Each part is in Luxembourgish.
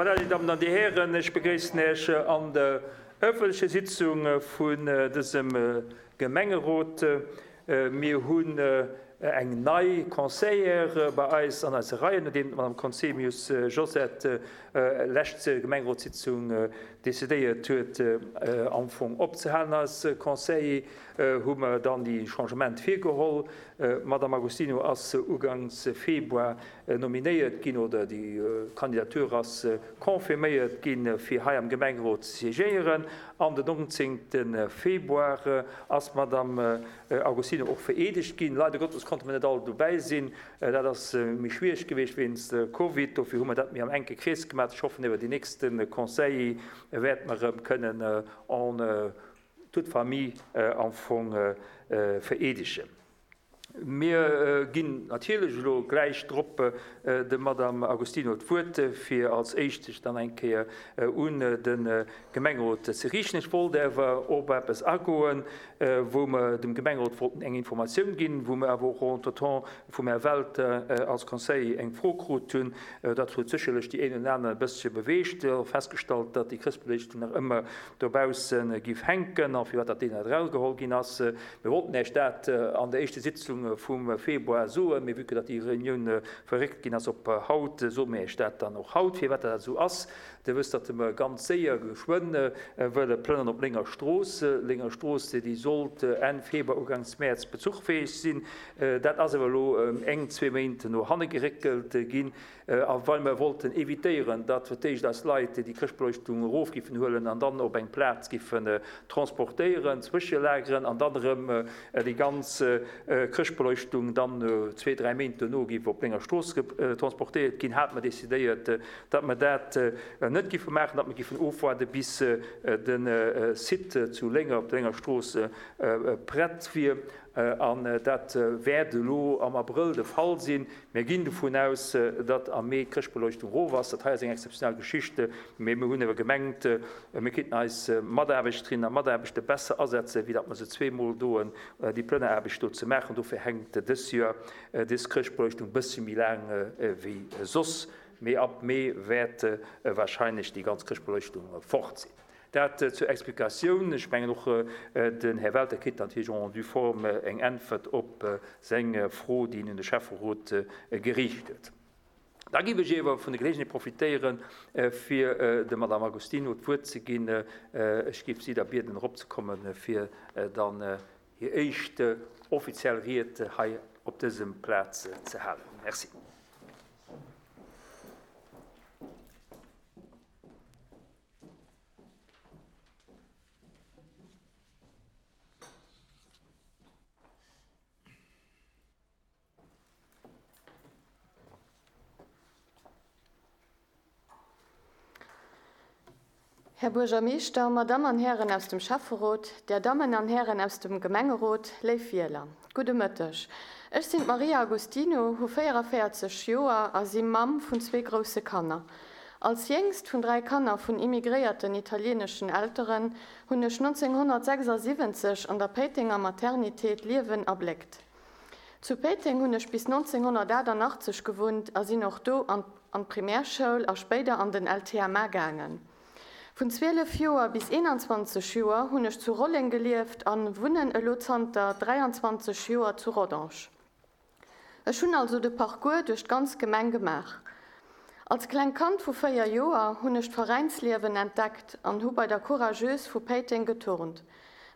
Voilà, dir Dammen an dir Hären, ech begréissen Iech an der ëffentlecher Sitzung vun dësem Gemengerot. Mir hunn eng nei Conseillère bei eis an eise Reien, nodeem d'Madame Conzemius Josette lescht Gemengerotssitzung decidéiert huet, am Fong opzehalen als Conseiller, hu mer dann déi Changement virgeholl. D'Madame Agostino ass ugangs Februar nominéiert ginn oder déi Kandidatur ass confirméiert ginn, fir hei am Gemengerot ze siégéieren. An den 19. Februar ass d'Madame Agostino och vereedegt ginn. Leider Gottes konnte mer net all dobäi sinn. Dat ass méi schwiereg gewiescht wéinst Covid. Dofir hu mer dat méi am enke Krees gemaach. Ech hoffen, iwwer déi nächste Conseiller wäerte mer erëm kënnen en toute famille am Fong vereedegen. Mir ginn natierlech elo gläich drop dem Madame Agostino d'Wuert, fir als Éischt sech dann eng Kéier un de Gemengerot ze riichten. Ech wollt awer op eppes agoen, wou mer dem Gemengerot wollten eng Informatioun ginn, wou mer awer och entretemps vum Här Welter als Conseiller eng Fro krut hunn. Dat huet sécherlech déi een oder aner e bëssche beweegt, festgestallt, datt déi Chrëschtbeliichtung nach ëmmer dobausse giff hänken a firwat dat déi net erausgeholl ginn ass. Mir wollten Iech dat an der éischte Sitzung vum Februar soen, mee vue que datt déi Reunioun verréckt ginn ass op haut, soe mir Iech dat dann och haut, firwat dat esou ass. Dir wësst, datt mer ganz séier, geschwënn wëlle plënnern op Lénger Strooss. Lénger Strooss, déi sollt Enn Februar, Uganks Mäerz bezuchfäeg sinn. Dat ass awer elo eng, zwee Méint no hanne geréckelt ginn. A well mer wollten évitéieren, datt fir d'éischt eis Leit déi Chrëschtbeleuchtung erof giffen huelen an dann op eng Plaz giffen transportéieren, zwëschelageren an dann erëm déi ganz Chrëschtbeleuchtung dann zwee, dräi Méint duerno giff op Lénger Strooss transportéiert ginn, hate mer décidéiert, datt mer dat net giffe maachen, datt mer giffen ofwaarde bis de Site zu Lénger op der Lénger Strooss prett wier. An dat wäert elo am Abrëll de Fall sinn. Mir ginn dovun aus, datt am Mee d'Chrëschtbeleuchtung erof ass. Dat hei ass eng exzeptionell Geschicht, mee mir hunn ewer gemengt, mir kéinten eis Mataarbechterinnen a Mataarbechter besser asetzen, wéi datt mer se zweemol doen, déi Plënneraarbecht do ze maachen. Dofir hänkt dës Joer dës Chrëschtbeleuchtung e bëssche méi laang wéi soss. Mee ab Mee wäert wahrscheinlech déi ganz Chrëschtbeleuchtung fort sinn. Dat zur Explikatioun. Ech mengen och den Här Welter kritt natierlech en due forme eng Äntwert op seng Fro, déi en un de Schäfferot geriicht huet. Da géif ech iewer vun der Geleegenheet profitéieren, fir der Madame Agostino d'Wuert ze ginn. Ech géif si da bieden eropzekommen, fir dann hir éischt offiziell Ried hei op dësem Plaz ze halen. Merci. Här Buergermeeschter, Madamm an Hären aus dem Schäfferot, Där Dammen an Hären aus dem Gemengerot, léif Wieler, gudde Mëtteg. Ech sinn d'Maria Agostino, hu 44 Joer a si Mamm vun zwee grousse Kanner. Als jéngst vun 3 Kanner vun immigréierten italieeneschen Elteren hunn ech 1976 an der Péitenger Maternité d'Liewen erbléckt. Zu Péiteng hunn ech bis 1988 gewunnt a sinn och do an an d'Primärschoul a spéider an den LTMA gaangen. Vun 12 Joer bis 21 Joer hunn ech zu Rolleng gelieft an wunnen elo zanter 23 Joer zu Rodange. Ech hunn also de Parcours duerch d'ganz Gemeng gemaach. Als klengt Kand vu 4 Joer hunn ech d'Veräinsliewen entdeckt an hu bei der Courageuse vu Péiteng geturnt.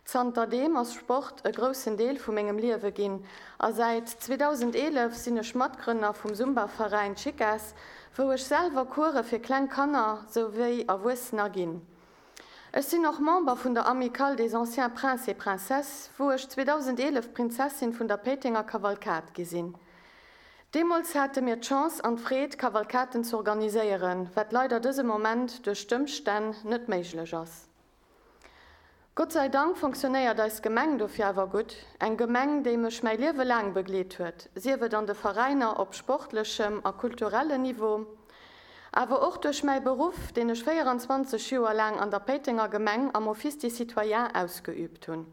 Zanter deem ass Sport e groussen Deel vu mengem Liewe ginn a säit 2011 sinn ech Matgrënner vum Zumba-Veräin Chicas, wou ech selwer Course fir kleng Kanner souwéi Erwuessener ginn. Ech sinn och Member vun der Amicale des Anciens Princes et Princesses, wou ech 2011 Prinzessin vun der Péitenger Kavalkad gi sinn. Deemools hate mir d'Chance an d'Freed, Kavalkaden z'organiséieren, wat leider dëse Moment duerch d'Ëmstänn net méiglech ass. Gott sei Dank fonctionnéiert eis Gemeng dofir awer gutt, eng Gemeng, déi mech mäi Liewe laang begleet huet, sief et an de Veräiner op sportlechem a kulturellen Niveau, awer och duerch mäi Beruff, deen ech 24 Joer laang an der Péitenger Gemeng am Office des Citoyens ausgeübt hunn.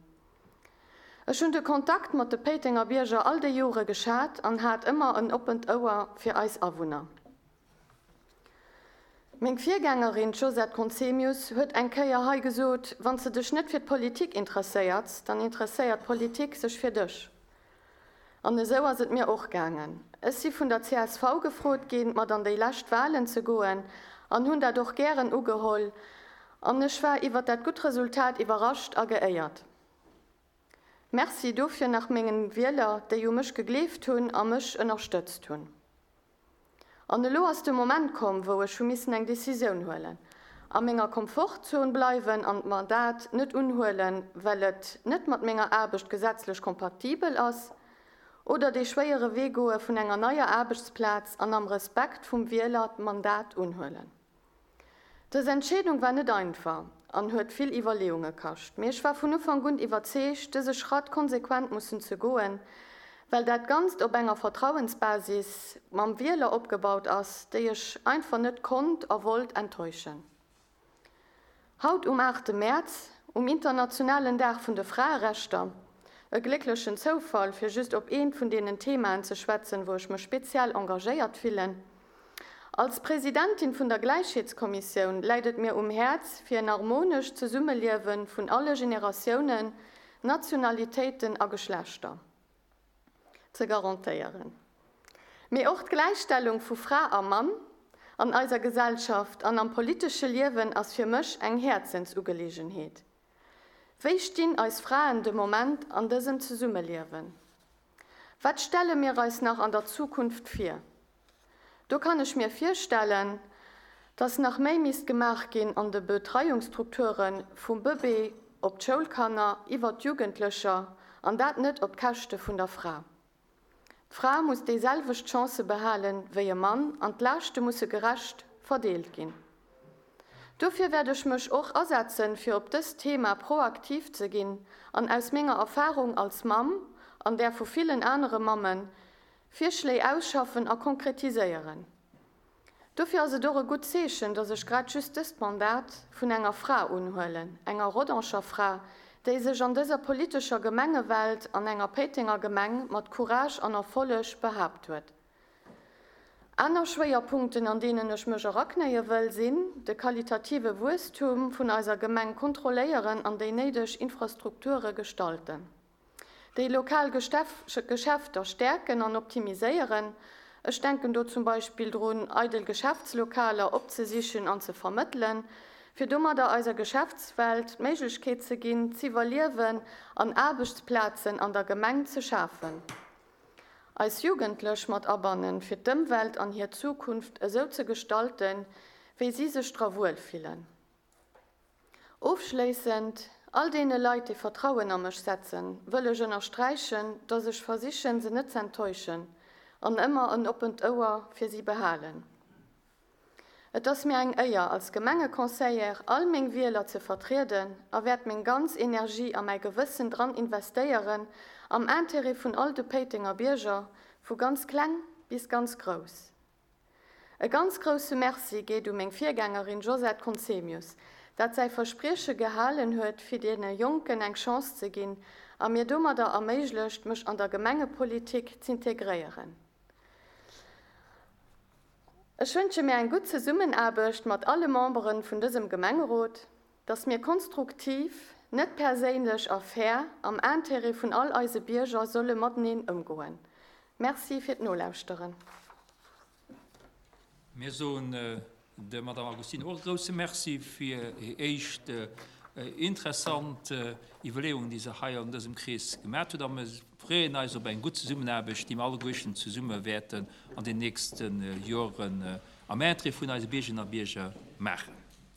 Ech hunn de Kontakt mat de Péitenger Bierger all déi Jore geschat an hat ëmmer en oppent Ouer fir eis Awunner. Meng Virgängerin, d'Josette Conzemius, huet eng Kéier hei gesot, Wann s de dech net fir d'Politik interesséierts, dann interesséiert d'Politik sech fir dech. An esou ass et mir och gaangen. Ech si vun der csv gefrot ginn, mat an déi lescht Wahlen ze goen an hunn dat och gären ugeholl an ech war iwwer dat gutt Resultat iwwerrascht a geéiert. Merci dofir nach mengen Wieler, déi u mech gegleeft hunn a mech ënnerstëtzt hunn. An elo ass de Moment komm, wou ech hu missen eng Decisioun huelen. A menger Komfortzon bleiwen an d'Mandat net unhuelen, well et net mat menger Aarbecht gesetzlech kompatibel ass, oder dee schwéiere Wee goe vun enger neier Aarbechtsplaz an am Respekt vum Wieler d'Mandat unhuelen. Dës Entscheedung war net einfach an huet vill Iwwerleeunge kascht, mee ech war vun Ufank un iwwerzeegt, dëse Schratt konsequent mussen ze goen, well dat Ganzt op enger Vertrauensbasis mam Wieler opgebaut ass, déi ech einfach net konnt a wollt enttäuschen. Haut um aachte Mäerz, um internationalen Dag vun de Fraerechter, e glécklechen Zoufall, fir just op eent vun deenen Themaen ze schwätzen, wou ech mech speziell engagéiert fillen, Als Presidentin vun der Gläichheetskommissioun läit et mir um Häerz, fir en harmonescht Zesummeliewe vun alle Generatiounen, Nationalitéiten a Geschlechter ze garantéieren. Mee och d'Gläichstellung vu Fra a Mann an eiser Gesellschaft an am politesche Liewen ass fir mech eng Häerzensugeleegenheet. Wéi stinn eis Fraen de Moment an dësem Zesummeliewen? Wat stelle mir eis nach an der Zukunft vir? Do kann ech mir virstellen, dass nach méi misst gemaach ginn an de Betreiungsstrukture vum Bëbee op d'Schoulkanner iwwer d'Jugendlecher, an dat net op d'Käschte vun der Fra. D'Fra muss déiselwecht Chancë behalen wéi e Mann an d'Laaschte musse gerecht verdeelt ginn. Dofir wäert ech mech och asetzen, fir op dëst Thema proaktiv ze ginn an aus menger Erfahrung als Mamm an där vu villen anere Mammen, Virschléi ausschaffen a konkretiséieren. Dofir ass et och e gutt Zeechen, dass ech grad just dëst Mandat vun enger Fra unhuelen, enger Rodanger Fra, déi sech an dëser politescher Gemengewelt an enger Péitenger Gemeng mat Courage an Erfolleg behaapt huet. Aner Schwéierpunkten, an deenen ech mech eraknéie wëll, sinn, de qualitative Wuesstum vun eiser Gemeng kontrolléieren an déi néideg Infrastrukture gestalten, déi lokal Geschäfter stäerken an optimiséieren, ech denken do zum Beispill drun, eidel Geschäftslokaler opzesichen an ze vermëttelen, fir domadder eiser Geschäftswelt d'Méiglechkeet ze ginn, z'iwwerliewen an Aarbechtsplazen an der Gemeng ze schafen. Eis Jugendlech mat abannen, fir d'Ëmwelt an hir Zukunft esou ze gestalten, wéi si sech dra wuel fillen. Ofschléissend, all deene Leit, déi Vertrauen a mech setzen, wëll ech ënnersträichen, dass ech versichen, se net z'enttäuschen an ëmmer en oppent Ouer fir si behalen. Et ass mir eng Éier, als Gemengeconseillère all meng Wieler ze vertrieden a wäert meng ganz Energie a mäi Gewëssen dran investéieren, am Intérêt vun all de Péitenger Bierger, vu ganz kleng bis ganz grouss. E ganz grousse Merci geet u meng Virgängerin Josette Conzemius, dat säi Versprieche gehalen huet, fir deene Jonken eng Chance ze ginn a mir domadder erméiglecht, mech an der Gemengepolitik z'integréieren. Ech wënsche mir eng gutt Zesummenaarbecht mat alle Membere vun dësem Gemengerot, dass mir konstruktiv, net perséinlech a fair am Intérêt vun all eise Bierger solle mateneen ëmgoen. Merci fir d'Nolauschteren. Mir soen der Madame Agostino och e grouse Merci fir hir éischt interessant Iwwerleeungen, déi se hei an dësem Krees gemat huet. A mir freeën eis op eng gutt Zesummenaarbecht, déi mir alleguerten zesumme wäerten an den nächste Joren am Interêt vun eise Biergerinnen a Bierger maachen.